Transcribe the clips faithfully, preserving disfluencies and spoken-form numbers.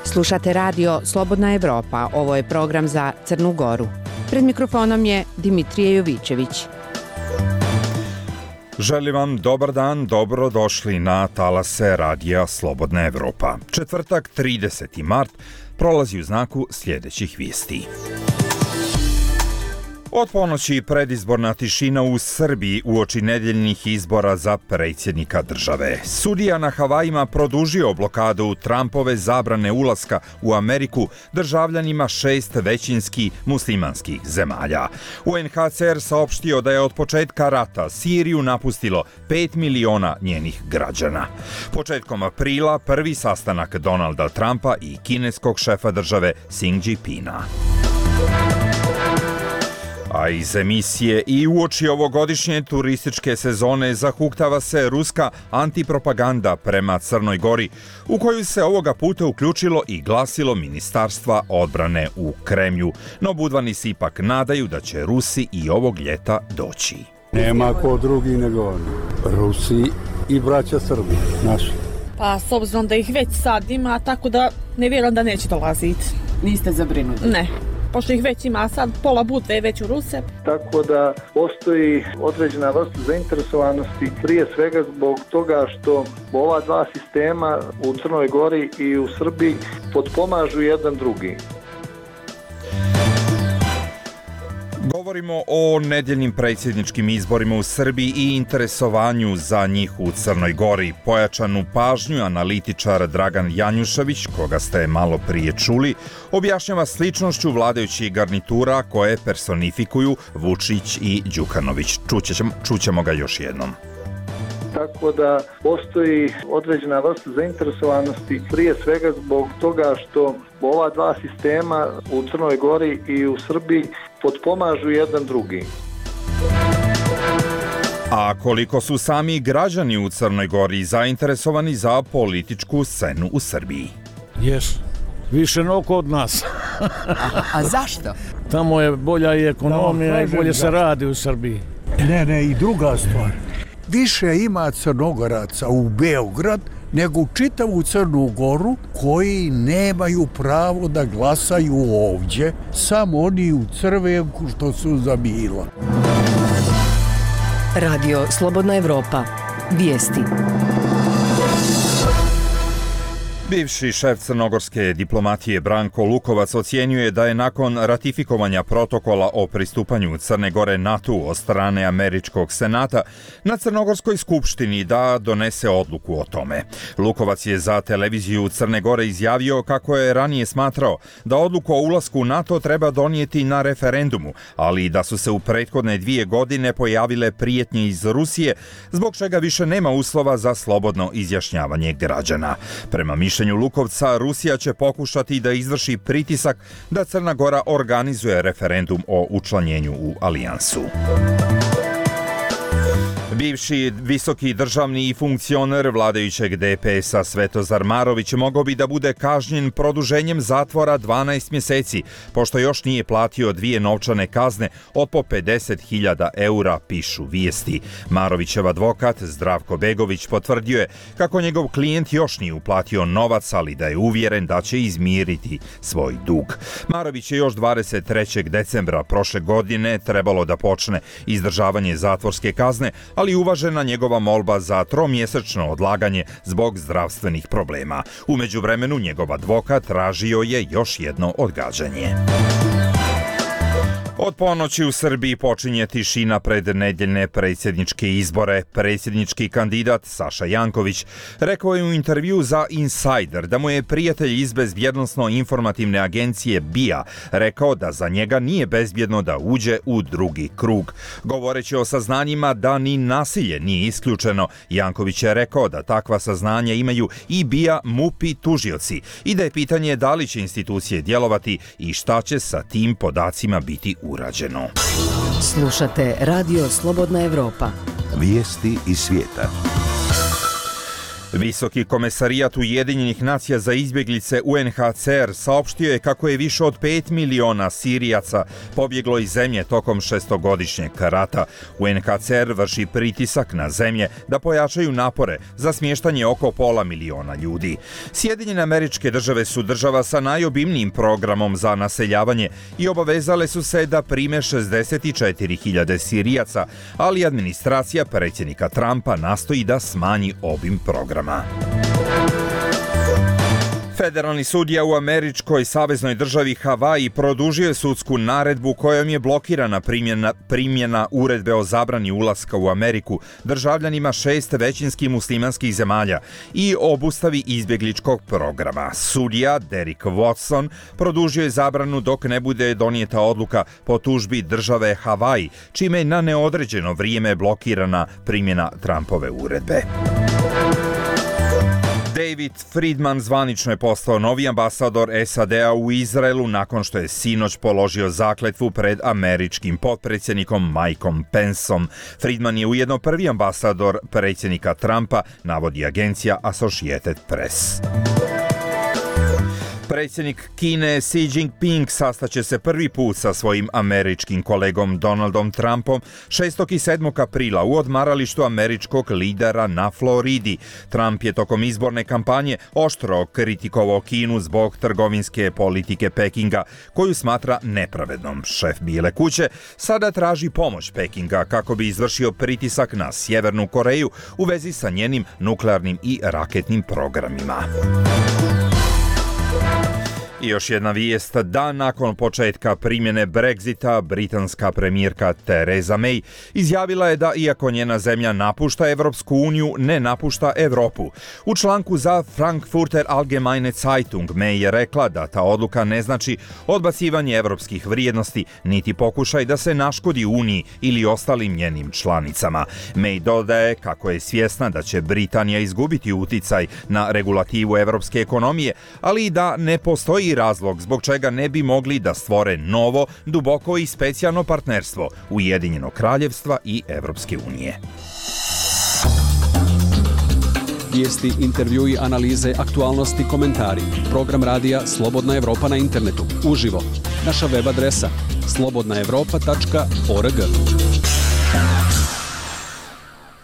Slušate radio Slobodna Evropa, ovo je program za Crnu Goru. Pred mikrofonom je Dimitrije Jovićević. Želim vam dobar dan, dobro došli na talase radija Slobodna Evropa. Četvrtak, trideseti mart, prolazi u znaku sljedećih vijesti. Od ponoći predizborna tišina u Srbiji uoči nedeljnih izbora za predsjednika države. Sudija na Havajima produžio blokadu Trumpove zabrane ulaska u Ameriku državljanima šest većinski muslimanskih zemalja. U en ha ce er saopštio da je od početka rata Siriju napustilo pet miliona njenih građana. Početkom aprila prvi sastanak Donalda Trumpa i kineskog šefa države Xi Jinpinga. A iz emisije i uoči ovogodišnje turističke sezone zahuktava se ruska antipropaganda prema Crnoj Gori, u koju se ovoga puta uključilo i glasilo Ministarstva odbrane u Kremlju. No budvani se ipak nadaju da će Rusi i ovog ljeta doći. Nema ko drugi nego oni. Rusi i braća Srbi, naši. Pa s obzirom da ih već sad ima, tako da ne vjerujem da neće dolaziti. Niste zabrinuti? Ne. Pošto ih već ima sad, pola Budve je već u Ruse. Tako da postoji određena vrsta zainteresovanosti, prije svega zbog toga što ova dva sistema u Crnoj Gori i u Srbiji potpomažu jedan drugi. Govorimo o nedeljnim predsjedničkim izborima u Srbiji i interesovanju za njih u Crnoj Gori. Pojačanu pažnju analitičar Dragan Janjušević, koga ste malo prije čuli, objašnjava sličnošću vladajućih garnitura koje personifikuju Vučić i Đukanović. Čućemo, čućemo ga još jednom. Tako da postoji određena vrsta zainteresovanosti, prije svega zbog toga što ova dva sistema u Crnoj Gori i u Srbiji potpomažu jedan drugi. A koliko su sami građani u Crnoj Gori zainteresovani za političku scenu u Srbiji? Jes, više no kod nas. a, a zašto? Tamo je bolja i ekonomija, i bolje se radi u Srbiji. Ne, ne, i druga stvar. Više ima Crnogoraca u Beograd nego u čitavu Crnu Goru koji nemaju pravo da glasaju ovdje, samo oni u Crvenku što su za Mila. Radio Slobodna Evropa. Vijesti. Bivši šef crnogorske diplomatije Branko Lukovac ocjenjuje da je nakon ratifikovanja protokola o pristupanju Crne Gore NATO-u od strane američkog senata na Crnogorskoj skupštini da donese odluku o tome. Lukovac je za televiziju Crne Gore izjavio kako je ranije smatrao da odluku o ulasku u NATO treba donijeti na referendumu, ali da su se u prethodne dvije godine pojavile prijetnje iz Rusije, zbog čega više nema uslova za slobodno izjašnjavanje građana. Prema mišljenju Lukovca, Rusija će pokušati da izvrši pritisak da Crna Gora organizuje referendum o učlanjenju u alijansu. Bivši visoki državni i funkcioner vladajućeg de pe es-a Svetozar Marović mogao bi da bude kažnjen produženjem zatvora dvanaest mjeseci, pošto još nije platio dvije novčane kazne od po pedeset hiljada eura, pišu vijesti. Marovićev advokat Zdravko Begović potvrdio je kako njegov klijent još nije uplatio novac, ali da je uvjeren da će izmiriti svoj dug. Marović je još dvadeset trećeg decembra prošle godine trebalo da počne izdržavanje zatvorske kazne, ali uvažena njegova molba za tromjesečno odlaganje zbog zdravstvenih problema. U međuvremenu njegov advokat tražio je još jedno odgađanje. Od ponoći u Srbiji počinje tišina pred nedeljne predsjedničke izbore. Predsjednički kandidat Saša Janković rekao je u intervju za Insider da mu je prijatelj iz bezbjednosno-informativne agencije B I A rekao da za njega nije bezbjedno da uđe u drugi krug. Govoreći o saznanjima da ni nasilje nije isključeno, Janković je rekao da takva saznanja imaju i B I A, M U P i tužioci i da je pitanje da li će institucije djelovati i šta će sa tim podacima biti urađeno. Slušate Radio Slobodna Evropa. Vijesti iz svijeta. Visoki komesarijat Ujedinjenih nacija za izbjeglice U N H C R saopštio je kako je više od pet miliona Sirijaca pobjeglo iz zemlje tokom šestogodišnjeg rata. U N H C R vrši pritisak na zemlje da pojačaju napore za smještanje oko pola miliona ljudi. Sjedinjene Američke Države su država sa najobimnijim programom za naseljavanje i obavezale su se da prime šezdeset četiri hiljade Sirijaca, ali administracija predsjednika Trumpa nastoji da smanji obim programa. Federalni sudija u američkoj saveznoj državi Havaji produžio je sudsku naredbu kojom je blokirana primjena, primjena uredbe o zabrani ulaska u Ameriku državljanima šest većinski muslimanskih zemalja i obustavi izbjegličkog programa. Sudija Derek Watson produžio je zabranu dok ne bude donijeta odluka po tužbi države Havaji, čime je na neodređeno vrijeme blokirana primjena Trumpove uredbe. David Friedman zvanično je postao novi ambasador S A D-a u Izraelu nakon što je sinoć položio zakletvu pred američkim potpredsjednikom Mikeom Penceom. Friedman je ujedno prvi ambasador predsjednika Trumpa, navodi agencija Associated Press. Predsjednik Kine Xi Jinping sastaće se prvi put sa svojim američkim kolegom Donaldom Trumpom šestog i sedmog aprila u odmaralištu američkog lidera na Floridi. Trump je tokom izborne kampanje oštro kritikovao Kinu zbog trgovinske politike Pekinga, koju smatra nepravednom. Šef Bijele kuće sada traži pomoć Pekinga kako bi izvršio pritisak na Sjevernu Koreju u vezi sa njenim nuklearnim i raketnim programima. I još jedna vijest, dan nakon početka primjene Brexita, britanska premijerka Theresa May izjavila je da iako njena zemlja napušta Evropsku uniju, ne napušta Europu. U članku za Frankfurter Allgemeine Zeitung May je rekla da ta odluka ne znači odbacivanje evropskih vrijednosti, niti pokušaj da se naškodi Uniji ili ostalim njenim članicama. May dodaje kako je svjesna da će Britanija izgubiti uticaj na regulativu evropske ekonomije, ali i da ne postoji razlog zbog čega ne bi mogli da stvore novo, duboko i specijalno partnerstvo Ujedinjenog kraljevstva i Evropske unije. Vijesti, intervjui, analize, aktualnosti, komentari. Program radija Slobodna Evropa na internetu. Uživo. Naša web adresa slobodna evropa tačka org.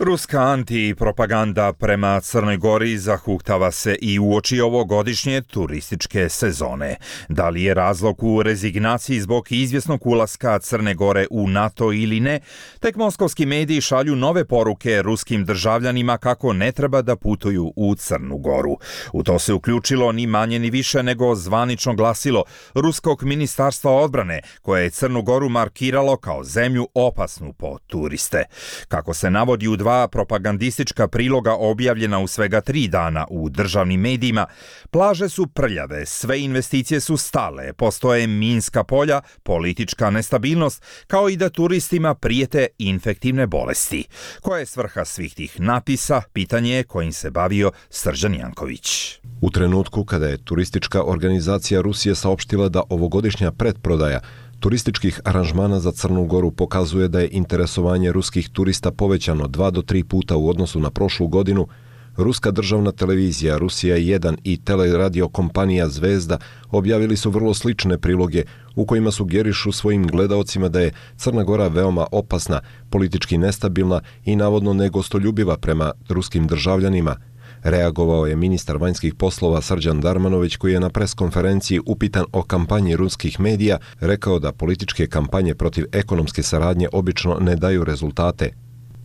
Ruska antipropaganda prema Crnoj Gori zahuktava se i uoči ovogodišnje turističke sezone. Da li je razlog u rezignaciji zbog izvjesnog ulaska Crne Gore u NATO ili ne, tek moskovski mediji šalju nove poruke ruskim državljanima kako ne treba da putuju u Crnu Goru. U to se uključilo ni manje ni više nego zvanično glasilo Ruskog ministarstva odbrane, koje je Crnu Goru markiralo kao zemlju opasnu po turiste. Kako se navodi u dva propagandistička priloga objavljena u svega tri dana u državnim medijima, plaže su prljave, sve investicije su stale, postoje minska polja, politička nestabilnost, kao i da turistima prijete infektivne bolesti. Koja je svrha svih tih napisa, pitanje je kojim se bavio Srđan Janković. U trenutku kada je turistička organizacija Rusije saopštila da ovogodišnja pretprodaja turističkih aranžmana za Crnu Goru pokazuje da je interesovanje ruskih turista povećano dva do tri puta u odnosu na prošlu godinu, ruska državna televizija Rusija jedan i teleradio kompanija Zvezda objavili su vrlo slične priloge u kojima sugerišu svojim gledaocima da je Crna Gora veoma opasna, politički nestabilna i navodno negostoljubiva prema ruskim državljanima. Reagovao je ministar vanjskih poslova Srđan Darmanović, koji je na preskonferenciji upitan o kampanji ruskih medija rekao da političke kampanje protiv ekonomske saradnje obično ne daju rezultate.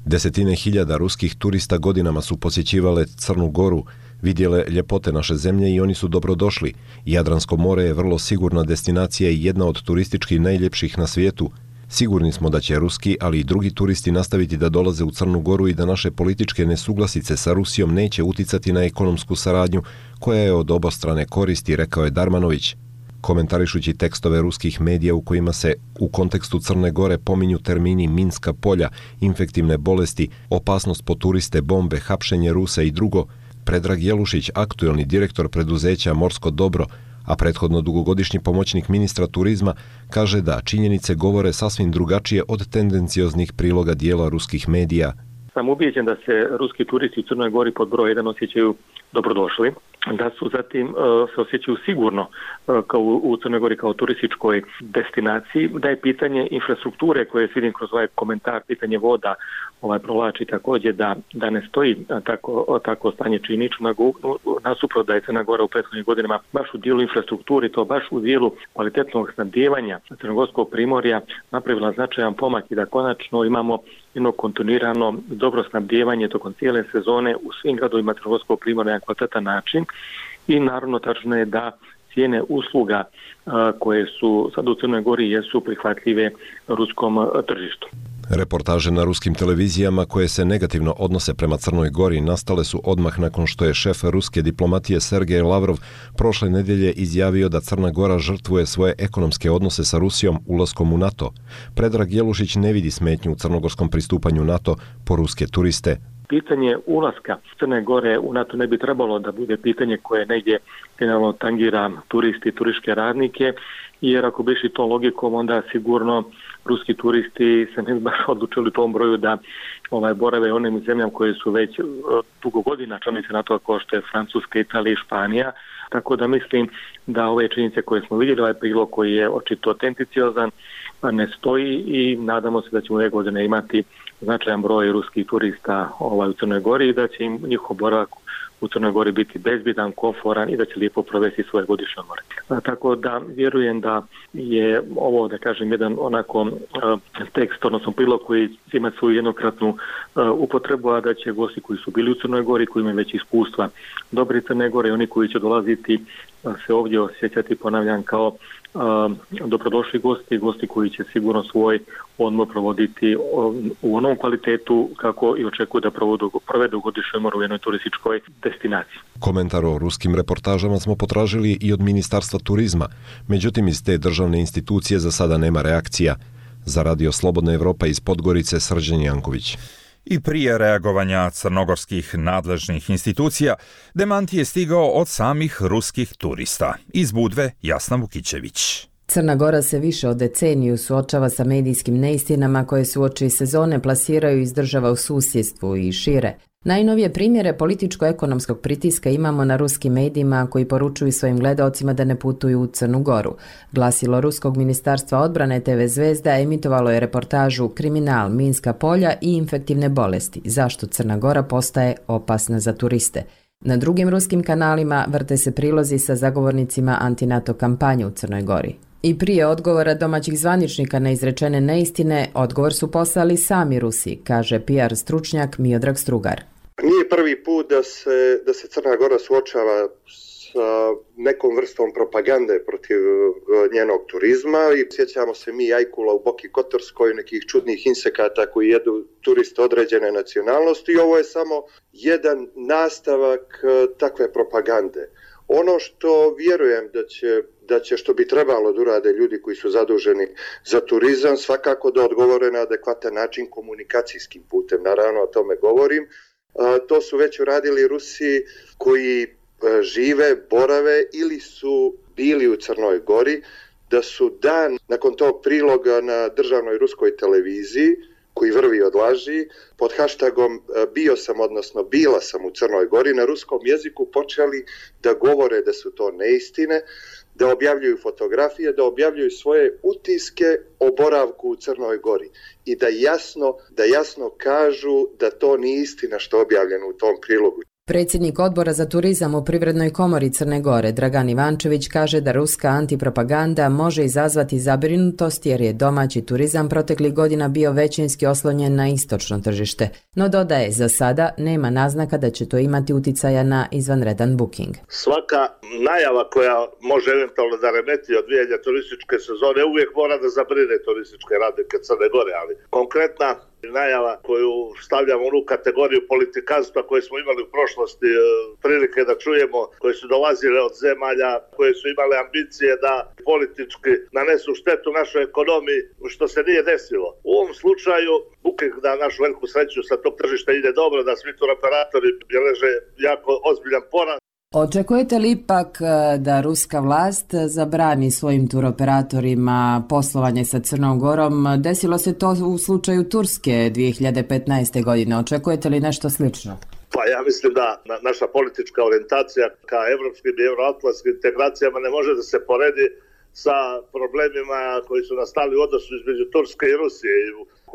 Desetine hiljada ruskih turista godinama su posjećivale Crnu Goru, vidjele ljepote naše zemlje i oni su dobrodošli. Jadransko more je vrlo sigurna destinacija i jedna od turistički najljepših na svijetu. Sigurni smo da će ruski, ali i drugi turisti nastaviti da dolaze u Crnu Goru i da naše političke nesuglasice sa Rusijom neće uticati na ekonomsku saradnju koja je od obostrane koristi, rekao je Darmanović. Komentarišući tekstove ruskih medija u kojima se u kontekstu Crne Gore pominju termini minska polja, infektivne bolesti, opasnost po turiste, bombe, hapšenje Rusa i drugo, Predrag Jelušić, aktuelni direktor preduzeća Morsko dobro, a prethodno dugogodišnji pomoćnik ministra turizma, kaže da činjenice govore sasvim drugačije od tendencioznih priloga dijela ruskih medija. sam ubijeđen da se ruski turisti u Crnoj Gori pod broj jedan osjećaju dobrodošli, da su zatim uh, se osjećaju sigurno uh, kao u, u Crnoj Gori kao turističkoj destinaciji, da je pitanje infrastrukture koje vidim kroz ovaj komentar, pitanje voda ovaj provlači također da, da ne stoji tako, tako stanje činično, nasuprot da je Crna Gora u prethodnih godinama baš u dijelu infrastrukturi, to baš u dijelu kvalitetnog snabdijevanja crnogorskog primorja napravila značajan pomak i da konačno imamo jedno kontinuirano dobro snabdijevanje tokom cijele sezone u svim gradovima crnogorskog primorja na kvalitetan način i naravno tačno je da cijene usluga a, koje su sad u Crnoj Gori jesu prihvatljive ruskom a, tržištu. Reportaže na ruskim televizijama koje se negativno odnose prema Crnoj Gori nastale su odmah nakon što je šef ruske diplomatije Sergej Lavrov prošle nedjelje izjavio da Crna Gora žrtvuje svoje ekonomske odnose sa Rusijom ulaskom u NATO. Predrag Jelušić ne vidi smetnju u crnogorskom pristupanju NATO po ruske turiste. Pitanje ulaska Crne Gore u NATO ne bi trebalo da bude pitanje koje negdje generalno tangira turisti i turističke radnike, jer ako bi išli tom logikom, onda sigurno ruski turisti se ne bi baš odlučili u tom broju da ovaj, borave onim zemljama koje su već dugo godina članice NATO kao što je Francuska, Italija i Španija. Tako da mislim da ove činjenice koje smo vidjeli, ovaj prilog koji je očito autenticiozan, ne stoji i nadamo se da ćemo ove godine imati značajan broj ruskih turista ovaj, u Crnoj Gori i da će im njihov boravak u Crnoj Gori biti bezbjedan, komforan i da će lijepo provesti svoje godišnje odmore. Tako da vjerujem da je ovo, da kažem, jedan onako uh, tekst, odnosno prilog koji ima svoju jednokratnu uh, upotrebu, a da će gosti koji su bili u Crnoj Gori, koji imaju već iskustva dobri Crne Gore i oni koji će dolaziti uh, se ovdje osjećati, ponavljam, kao uh, dobrodošli gosti, gosti koji će sigurno svoj odmor provoditi u onom kvalitetu kako i očekuju da provodu, provedu godišnji odmor u jednoj turističkoj destinaciji. Komentar o ruskim reportažama smo potražili i od Ministarstva turizma, međutim iz te državne institucije za sada nema reakcija. Za Radio Slobodna Evropa iz Podgorice Srđan Janković. I prije reagovanja crnogorskih nadležnih institucija, demant je stigao od samih ruskih turista. Iz Budve Jasna Vukićević. Crna Gora se više od deceniju suočava sa medijskim neistinama koje se uoči sezone plasiraju iz država u susjedstvu i šire. Najnovije primjere političko-ekonomskog pritiska imamo na ruskim medijima koji poručuju svojim gledaocima da ne putuju u Crnu Goru. Glasilo Ruskog ministarstva odbrane te ve Zvezda emitovalo je reportažu Kriminal, minska polja i infektivne bolesti. Zašto Crna Gora postaje opasna za turiste? Na drugim ruskim kanalima vrte se prilozi sa zagovornicima antinato kampanje u Crnoj Gori. I prije odgovora domaćih zvaničnika na izrečene neistine, odgovor su poslali sami Rusi, kaže P R stručnjak Miodrag Strugar. Nije prvi put da se, da se Crna Gora suočava sa nekom vrstom propagande protiv njenog turizma i sjećamo se mi ajkula u Boki Kotorskoj, nekih čudnih insekata koji jedu turiste određene nacionalnosti i ovo je samo jedan nastavak takve propagande. Ono što vjerujem da će, da će što bi trebalo da urade ljudi koji su zaduženi za turizam, svakako da odgovore na adekvatan način komunikacijskim putem, naravno o tome govorim. A, to su već uradili Rusi koji a, žive, borave ili su bili u Crnoj Gori, da su dan nakon tog priloga na državnoj ruskoj televiziji koji vrvi od laži, pod hashtagom bio sam, odnosno bila sam u Crnoj Gori, na ruskom jeziku počeli da govore da su to neistine, da objavljuju fotografije, da objavljuju svoje utiske o boravku u Crnoj Gori i da jasno, da jasno kažu da to nije istina što je objavljeno u tom prilogu. Predsjednik odbora za turizam u Privrednoj komori Crne Gore, Dragan Ivančević, kaže da ruska antipropaganda može izazvati zabrinutost jer je domaći turizam proteklih godina bio većinski oslonjen na istočno tržište. No dodaje, za sada nema naznaka da će to imati uticaja na izvanredan booking. Svaka najava koja može eventualno da remeti odvijanja turističke sezone uvijek mora da zabrine turističke radnike Crne Gore, ali konkretna najava koju stavljamo u onu kategoriju politikanstva koje smo imali u prošlosti prilike da čujemo, koje su dolazile od zemalja koje su imale ambicije da politički nanesu štetu našoj ekonomiji, što se nije desilo. U ovom slučaju, booking na našu veliku sreću sa tog tržišta ide dobro, da svi tur operatori beleže jako ozbiljan porast. Očekujete li ipak da ruska vlast zabrani svojim turoperatorima poslovanje sa Crnom Gorom? Desilo se to u slučaju Turske dvije hiljade petnaeste. godine. Očekujete li nešto slično? Pa ja mislim da naša politička orijentacija ka evropskim i euroatlantskim integracijama ne može da se poredi sa problemima koji su nastali u odnosu između Turske i Rusije.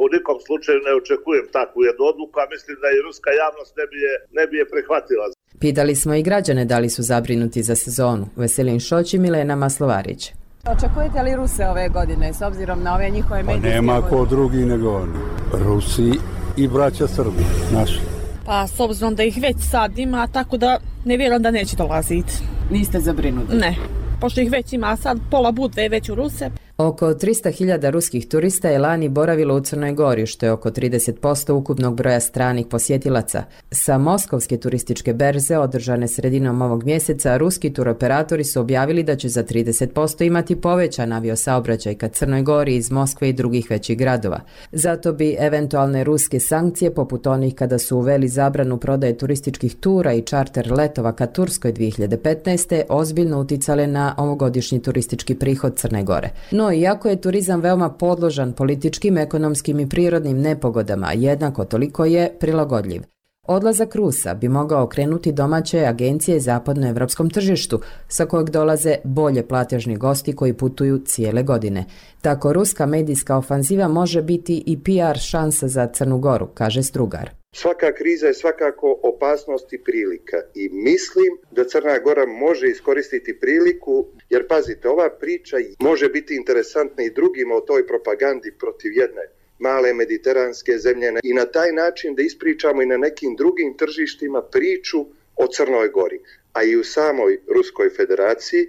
U nikom slučaju ne očekujem takvu jednu odluku, a mislim da i ruska javnost ne bi je, ne bi je prihvatila. Pitali smo i građane da li su zabrinuti za sezonu. Veselin Šoć i Milena Maslovarić. Očekujete li Ruse ove godine s obzirom na ove njihove medijske... Pa nema ko drugi nego oni. Rusi i braća Srbi, naši. Pa s obzirom da ih već sad ima, tako da ne vjerujem da neće dolaziti. Niste zabrinuti? Ne, pošto ih već ima sad, pola Budve je već u Ruse. Oko trista hiljada ruskih turista je lani boravilo u Crnoj Gori, što je oko trideset posto ukupnog broja stranih posjetilaca. Sa Moskovske turističke berze, održane sredinom ovog mjeseca, ruski turoperatori su objavili da će za trideset posto imati povećan aviosaobraćaj ka Crnoj Gori iz Moskve i drugih većih gradova. Zato bi eventualne ruske sankcije, poput onih kada su uveli zabranu prodaje turističkih tura i čarter letova ka Turskoj dvije hiljade petnaeste. ozbiljno uticale na ovogodišnji turistički prihod Crne Gore. No, iako je turizam veoma podložan političkim, ekonomskim i prirodnim nepogodama, jednako toliko je prilagodljiv. Odlazak Rusa bi mogao okrenuti domaće agencije zapadnoevropskom tržištu, sa kojeg dolaze bolje platežni gosti koji putuju cijele godine. Tako ruska medijska ofanziva može biti i P R šansa za Crnu Goru, kaže Strugar. Svaka kriza je svakako opasnost i prilika i mislim da Crna Gora može iskoristiti priliku, jer pazite, ova priča može biti interesantna i drugima o toj propagandi protiv jedne male mediteranske zemlje i na taj način da ispričamo i na nekim drugim tržištima priču o Crnoj Gori, a i u samoj Ruskoj federaciji,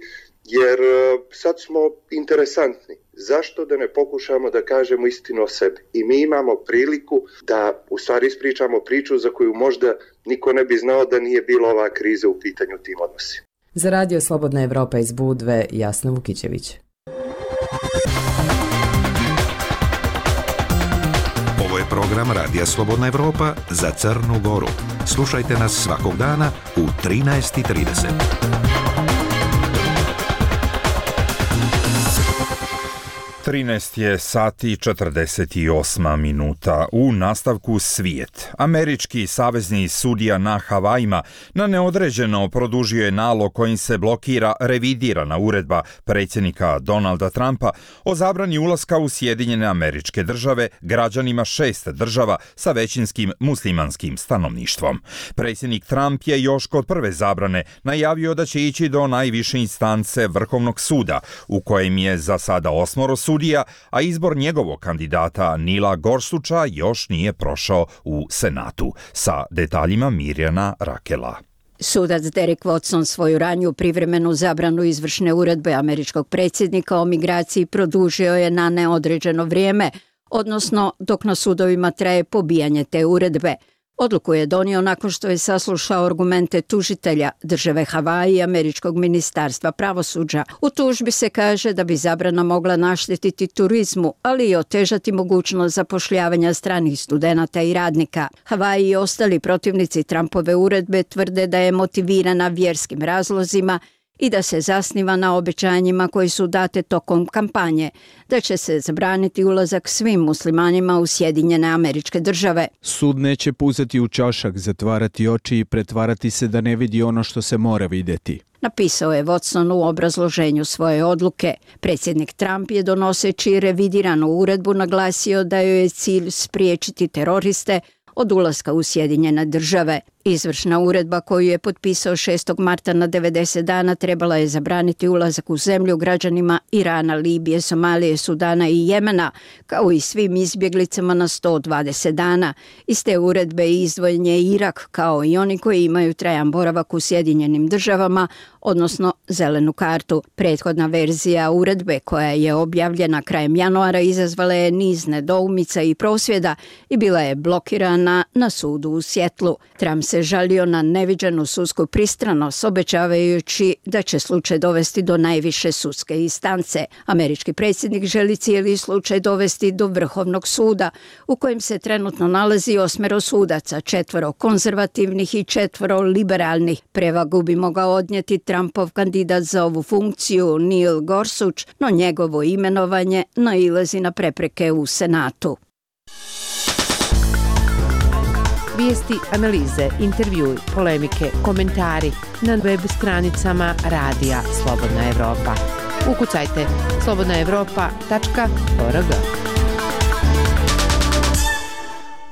jer sad smo interesantni. Zašto da ne pokušamo da kažemo istinu o sebi? I mi imamo priliku da u stvari ispričamo priču za koju možda niko ne bi znao da nije bila ova kriza u pitanju tim odnosima. Za Radio Slobodna Evropa iz Budve, Jasna Vukićević. Ovo je program Radija Slobodna Evropa za Crnu Goru. Slušajte nas svakog dana u trinaest i trideset. trinaest je sati četrdeset osam minuta. U nastavku svijet. Američki savezni sudija na Havajima na neodređeno produžio je nalog kojim se blokira revidirana uredba predsjednika Donalda Trumpa o zabrani ulaska u Sjedinjene Američke Države građanima šest država sa većinskim muslimanskim stanovništvom. Predsjednik Trump je još kod prve zabrane najavio da će ići do najviše instance Vrhovnog suda, u kojem je za sada osmoro sudija, a izbor njegovog kandidata Nila Gorsuča još nije prošao u Senatu. Sa detaljima Mirjana Rakela. Sudac Derek Watson svoju raniju privremenu zabranu izvršne uredbe američkog predsjednika o migraciji produžio je na neodređeno vrijeme, odnosno dok na sudovima traje pobijanje te uredbe. Odluku je donio nakon što je saslušao argumente tužitelja države Havaji i američkog ministarstva pravosuđa. U tužbi se kaže da bi zabrana mogla naštetiti turizmu, ali i otežati mogućnost zapošljavanja stranih studenata i radnika. Havaji i ostali protivnici Trumpove uredbe tvrde da je motivirana vjerskim razlozima i da se zasniva na obećanjima koji su date tokom kampanje, da će se zabraniti ulazak svim muslimanima u Sjedinjene Američke Države. Sud neće puzati u čašak, zatvarati oči i pretvarati se da ne vidi ono što se mora vidjeti, napisao je Watson u obrazloženju svoje odluke. Predsjednik Trump je donoseći revidiranu uredbu naglasio da joj je cilj spriječiti teroriste od ulaska u Sjedinjene Države. Izvršna uredba koju je potpisao šestog marta na devedeset dana trebala je zabraniti ulazak u zemlju građanima Irana, Libije, Somalije, Sudana i Jemena, kao i svim izbjeglicama na sto dvadeset dana. Iz te uredbe izdvojen je Irak, kao i oni koji imaju trajan boravak u Sjedinjenim Državama, odnosno zelenu kartu. Prethodna verzija uredbe, koja je objavljena krajem januara, izazvala je niz nedoumica i prosvjeda i bila je blokirana na sudu u Sjetlu. Trump se žalio na neviđenu sudsku pristranost, obećavajući da će slučaj dovesti do najviše sudske instance. Američki predsjednik želi cijeli slučaj dovesti do Vrhovnog suda, u kojem se trenutno nalazi osmero sudaca, četvoro konzervativnih i četvoro liberalnih. Prevagu bi mogao odnijeti Trumpov kandidat za ovu funkciju Neil Gorsuch, no njegovo imenovanje nailazi na prepreke u Senatu. Vijesti, analize, intervjui, polemike, komentari na web stranicama Radija Slobodna Evropa. Ukucajte slobodna evropa tačka org.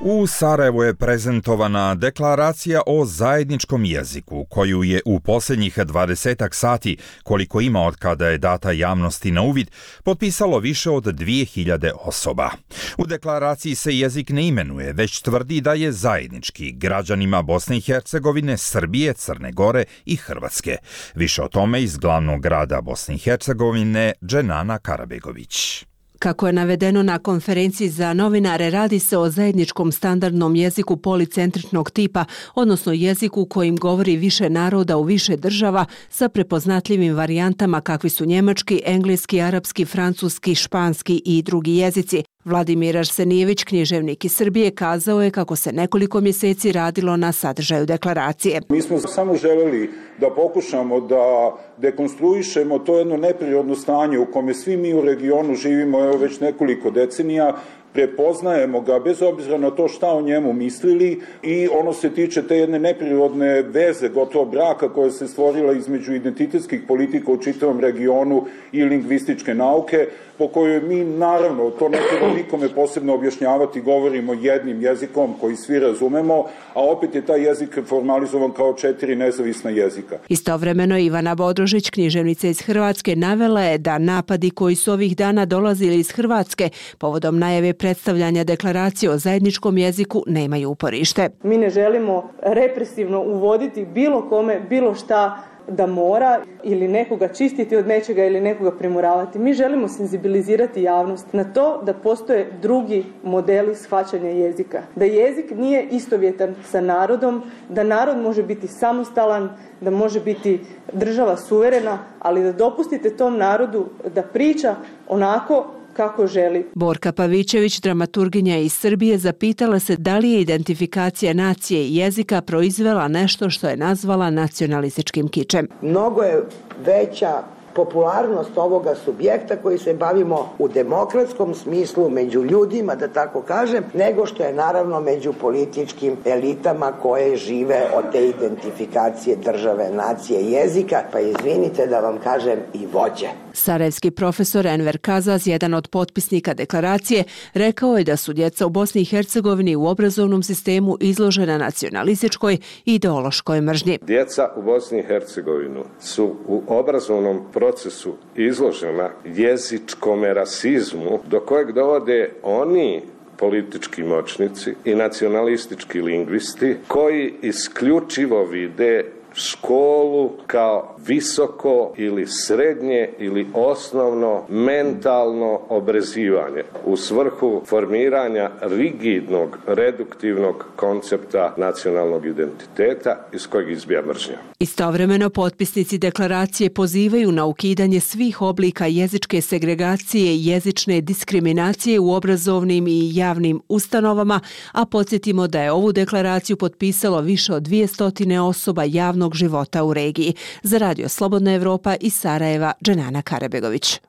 U Sarajevu je prezentovana deklaracija o zajedničkom jeziku, koju je u posljednjih dvadesetak sati, koliko ima od kada je data javnosti na uvid, potpisalo više od dvije hiljade osoba. U deklaraciji se jezik ne imenuje, već tvrdi da je zajednički građanima Bosne i Hercegovine, Srbije, Crne Gore i Hrvatske. Više o tome iz glavnog grada Bosne i Hercegovine, Dženana Karabegović. Kako je navedeno na konferenciji za novinare, radi se o zajedničkom standardnom jeziku policentričnog tipa, odnosno jeziku kojim govori više naroda u više država sa prepoznatljivim varijantama kakvi su njemački, engleski, arapski, francuski, španski i drugi jezici. Vladimir Arsenijević, književnik iz Srbije, kazao je kako se nekoliko mjeseci radilo na sadržaju deklaracije. Mi smo samo željeli da pokušamo da dekonstruišemo to jedno neprirodno stanje u kome svi mi u regionu živimo evo već nekoliko decenija, prepoznajemo ga bez obzira na to šta o njemu mislili i ono se tiče te jedne neprirodne veze, gotovo braka koja se stvorila između identitetskih politika u čitavom regionu i lingvističke nauke, po kojoj mi naravno, to ne treba nikome posebno objašnjavati, govorimo jednim jezikom koji svi razumemo, a opet je taj jezik formalizovan kao četiri nezavisna jezika. Istovremeno Ivana Bodrožić, književnica iz Hrvatske, navela je da napadi koji su ovih dana dolazili iz Hrvatske povodom najave predstavljanja deklaracije o zajedničkom jeziku nemaju uporište. Mi ne želimo represivno uvoditi bilo kome, bilo šta da mora ili nekoga čistiti od nečega ili nekoga primoravati. Mi želimo senzibilizirati javnost na to da postoje drugi modeli shvaćanja jezika. Da jezik nije istovjetan sa narodom, da narod može biti samostalan, da može biti država suverena, ali da dopustite tom narodu da priča onako kako želi. Borka Pavićević, dramaturginja iz Srbije, zapitala se da li je identifikacija nacije i jezika proizvela nešto što je nazvala nacionalističkim kičem. Mnogo je veća popularnost ovoga subjekta koji se bavimo u demokratskom smislu među ljudima, da tako kažem, nego što je naravno među političkim elitama koje žive od te identifikacije države, nacije, jezika, pa izvinite da vam kažem i vođe. Sarajevski profesor Enver Kazaz, jedan od potpisnika deklaracije, rekao je da su djeca u Bosni i Hercegovini u obrazovnom sistemu izložena nacionalističkoj i ideološkoj mržnji. Djeca u Bosni i Hercegovini su u obrazovnom procesu izložena jezičkom rasizmu do kojeg dovode oni politički moćnici i nacionalistički lingvisti koji isključivo vide školu kao visoko ili srednje ili osnovno mentalno obrazivanje u svrhu formiranja rigidnog, reduktivnog koncepta nacionalnog identiteta iz kojeg izbija mržnja. Istovremeno potpisnici deklaracije pozivaju na ukidanje svih oblika jezičke segregacije i jezične diskriminacije u obrazovnim i javnim ustanovama, a podsjetimo da je ovu deklaraciju potpisalo više od dvjesto osoba javnog života u regiji. Za Radio Slobodna Evropa iz Sarajeva, Dženana Karabegović.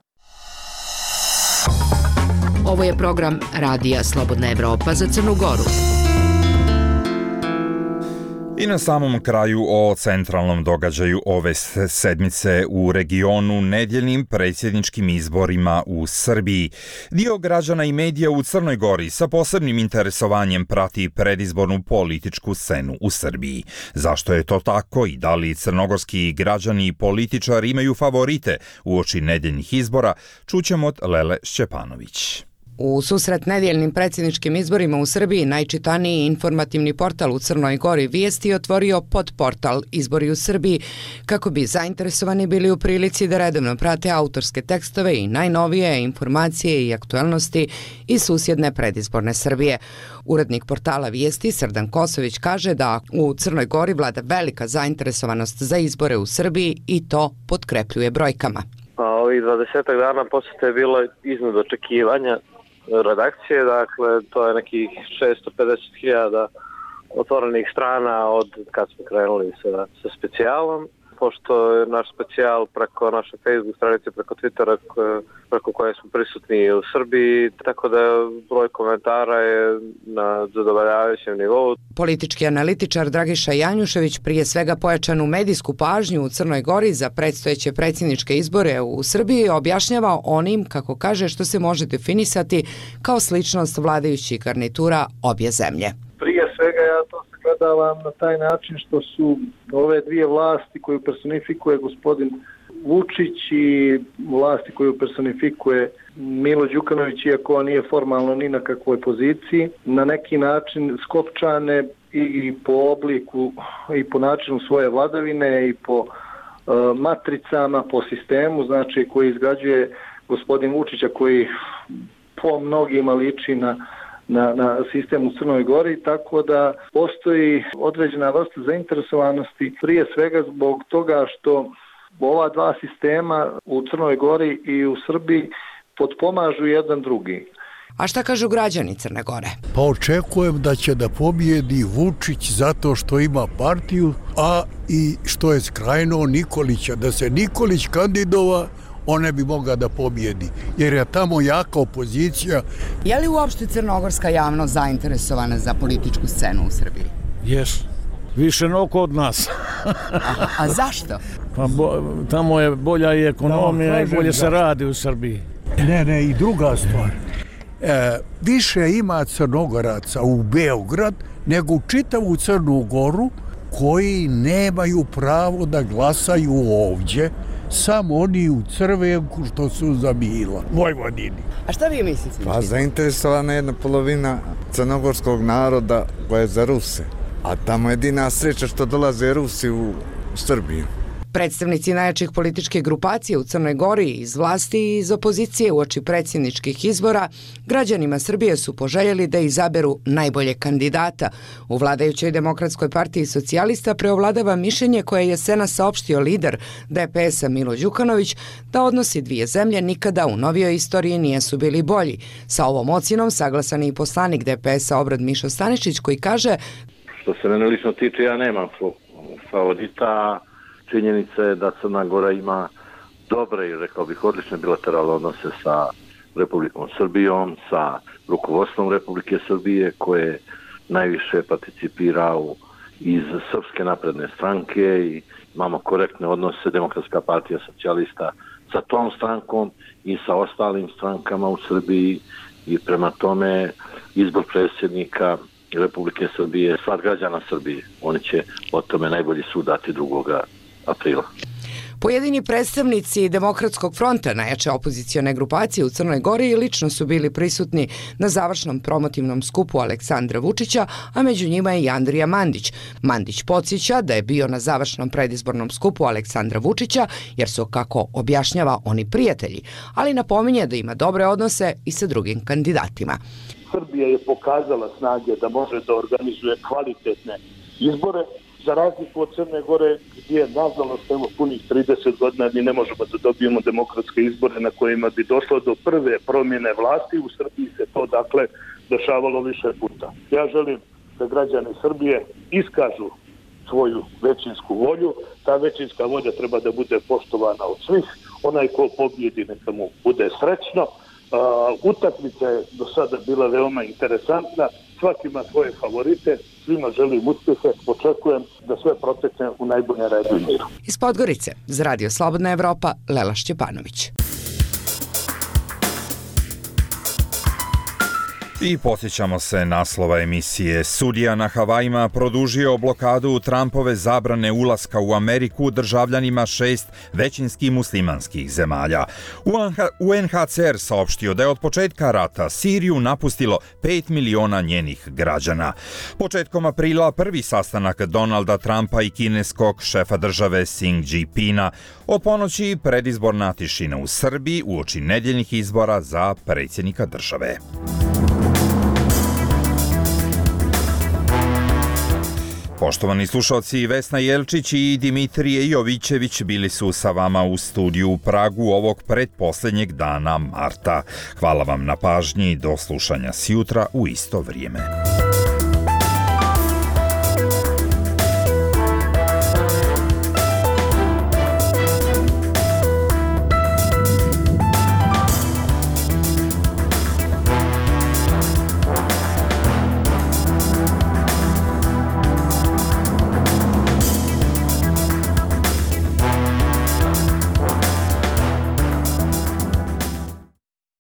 Ovo je program Radija Slobodna Evropa za Crnu Goru. I na samom kraju o centralnom događaju ove sedmice u regionu, nedjeljnim predsjedničkim izborima u Srbiji. Dio građana i medija u Crnoj Gori sa posebnim interesovanjem prati predizbornu političku scenu u Srbiji. Zašto je to tako i da li crnogorski građani i političari imaju favorite uoči nedjeljnih izbora, čućemo od Lele Šćepanović. U susret nedjeljnim predsjedničkim izborima u Srbiji najčitaniji informativni portal u Crnoj Gori Vijesti otvorio podportal Izbori u Srbiji kako bi zainteresovani bili u prilici da redovno prate autorske tekstove i najnovije informacije i aktualnosti iz susjedne predizborne Srbije. Urednik portala Vijesti Srdan Kosović kaže da u Crnoj Gori vlada velika zainteresovanost za izbore u Srbiji i to potkrepljuje brojkama. Pa ovih dvadesetak dana posjeta je bilo iznad očekivanja redakcije, dakle to je nekih šesto pedeset hiljada otvorenih strana od kad smo krenuli sa, sa specijalom. Pošto je naš specijal preko naše Facebook stranice, preko Twittera, preko koje smo prisutni u Srbiji, tako da broj komentara je na zadovoljavajućem nivou. Politički analitičar Dragiša Janjušević prije svega pojačanu medijsku pažnju u Crnoj Gori za predstojeće predsjedničke izbore u Srbiji objašnjava onim, kako kaže, što se može definisati kao sličnost vladajućih garnitura obje zemlje. Prije svega ja to sagledavam na taj način što su ove dvije vlasti koju personifikuje gospodin Vučić i vlasti koju personifikuje Milo Đukanović, iako on nije formalno ni na kakvoj poziciji, na neki način skopčane i po obliku i po načinu svoje vladavine i po uh, matricama, po sistemu, znači koji izgrađuje gospodin Vučića, koji po mnogima liči na Na, na sistem u Crnoj Gori, tako da postoji određena vrsta zainteresovanosti prije svega zbog toga što ova dva sistema u Crnoj Gori i u Srbiji potpomažu jedan drugi. A šta kažu građani Crne Gore? Pa očekujem da će da pobjedi Vučić zato što ima partiju, a i što je skrajnuo Nikolića. Da se Nikolić kandidova, on ne bi mogao da pobjedi, jer je tamo jaka opozicija. Je li uopšte crnogorska javnost zainteresovana za političku scenu u Srbiji? Jes, više no kod nas. a, a zašto? Pa bo, tamo je bolja i ekonomija i bolje se radi u Srbiji. Ne, ne, i druga stvar. E, više ima Crnogoraca u Beograd nego u čitavu Crnu Goru koji nemaju pravo da glasaju ovdje, samo oni u Crvenku što su za Mila, Vojvodini. A šta vi mislite? Pa zainteresovana jedna polovina crnogorskog naroda koja je za Ruse, a tamo jedina sreća što dolaze Rusi u Srbiju. Predstavnici najjačih političkih grupacija u Crnoj Gori iz vlasti i iz opozicije uoči predsjedničkih izbora građanima Srbije su poželjeli da izaberu najbolje kandidata. U vladajućoj Demokratskoj partiji socijalista preovladava mišljenje koje je jesena saopštio lider D P S-a Milo Đukanović da odnosi dvije zemlje nikada u novijoj istoriji nisu bili bolji. Sa ovom ocjenom saglasan je i poslanik D P S-a Obrad Mišo Stanišić koji kaže: Što se mene lično tiče, ja nemam favorita. Činjenica je da Crna Gora ima dobre i rekao bih odlične bilateralne odnose sa Republikom Srbijom, sa rukovodstvom Republike Srbije koje najviše participira u, iz Srpske napredne stranke i imamo korektne odnose Demokratska partija socijalista sa tom strankom i sa ostalim strankama u Srbiji i prema tome izbor predsjednika Republike Srbije je stvar građana Srbije. Oni će o tome najbolji sud dati drugoga aprila. Pojedini predstavnici Demokratskog fronta, najjače opozicione grupacije u Crnoj Gori, lično su bili prisutni na završnom promotivnom skupu Aleksandra Vučića, a među njima je i Andrija Mandić. Mandić podsjeća da je bio na završnom predizbornom skupu Aleksandra Vučića, jer su, kako objašnjava, oni prijatelji, ali napominje da ima dobre odnose i sa drugim kandidatima. Srbija je pokazala snage da može da organizuje kvalitetne izbore, za razliku od Crne Gore, gdje, nažalost, evo punih trideset godina mi ne možemo da dobijemo demokratske izbore na kojima bi došlo do prve promjene vlasti. U Srbiji se to, dakle, dešavalo više puta. Ja želim da građani Srbije iskažu svoju većinsku volju. Ta većinska volja treba da bude poštovana od svih. Onaj ko pobjedi neka mu bude srećno. Uh, utakmica je do sada bila veoma interesantna. Svaki ima svoje favorite, svima želim uspjehe, očekujem da sve protekne u najboljem redu i miru. Iz Podgorice, za Radio Slobodna Evropa, Lela Šćepanović. I posjećamo se naslova emisije. Sudija na Havajima produžio blokadu Trumpove zabrane ulaska u Ameriku državljanima šest većinski muslimanskih zemalja. U N H C R saopštio da je od početka rata Siriju napustilo pet miliona njenih građana. Početkom aprila prvi sastanak Donalda Trumpa i kineskog šefa države Xi Jinpinga. Od ponoći predizborna tišina u Srbiji uoči nedjeljnih izbora za predsjednika države. Poštovani slušalci, Vesna Jelčić i Dimitrije Jovićević bili su sa vama u studiju u Pragu ovog pretposljednjeg dana marta. Hvala vam na pažnji i do slušanja sjutra u isto vrijeme.